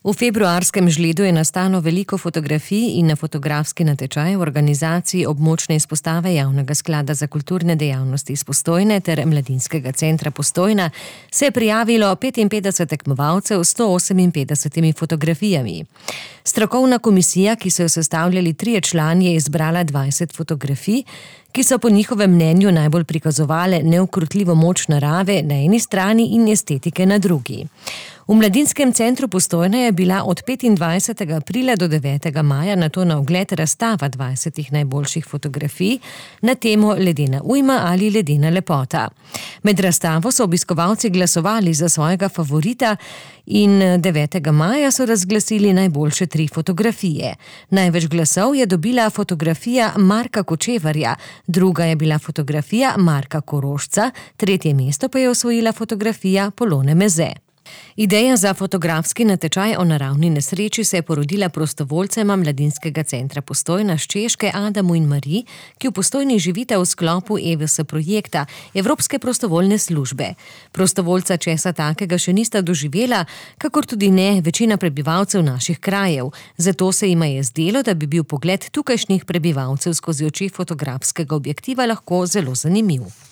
V februarskem Žledu je nastalo veliko fotografij in na fotografski natečaj v organizaciji območne izpostave Javnega sklada za kulturne dejavnosti iz Postojne ter Mladinskega centra Postojna se je prijavilo 55 tekmovalcev s 158 fotografijami. Strokovna komisija, ki so jo sestavljali 3 člani, je izbrala 20 fotografij, ki so po njihovem mnenju najbolj prikazovale neukrotljivo moč narave na eni strani in estetike na drugi. V Mladinskem centru Postojna je bila od 25. aprila do 9. maja nato na ogled razstava 20 najboljših fotografij na temo ledena ujma ali ledena lepota. Med razstavo so obiskovalci glasovali za svojega favorita in 9. maja so razglasili najboljše 3 fotografije. Največ glasov je dobila fotografija Marka Kočevarja, druga je bila fotografija Marka Korošca, 3. mesto pa je osvojila fotografija Polone Meze. Ideja za fotografski natečaj o naravni nesreči se je porodila prostovoljcema Mladinskega centra Postojna s Češke, Adamu in Mariji, ki v Postojni živita v sklopu EVS projekta Evropske prostovoljne službe. Prostovoljca česa takega še nista doživela, kakor tudi ne večina prebivalcev naših krajev. Zato se jima je zdelo, da bi bil pogled tukajšnjih prebivalcev skozi oči fotografskega objektiva lahko zelo zanimiv.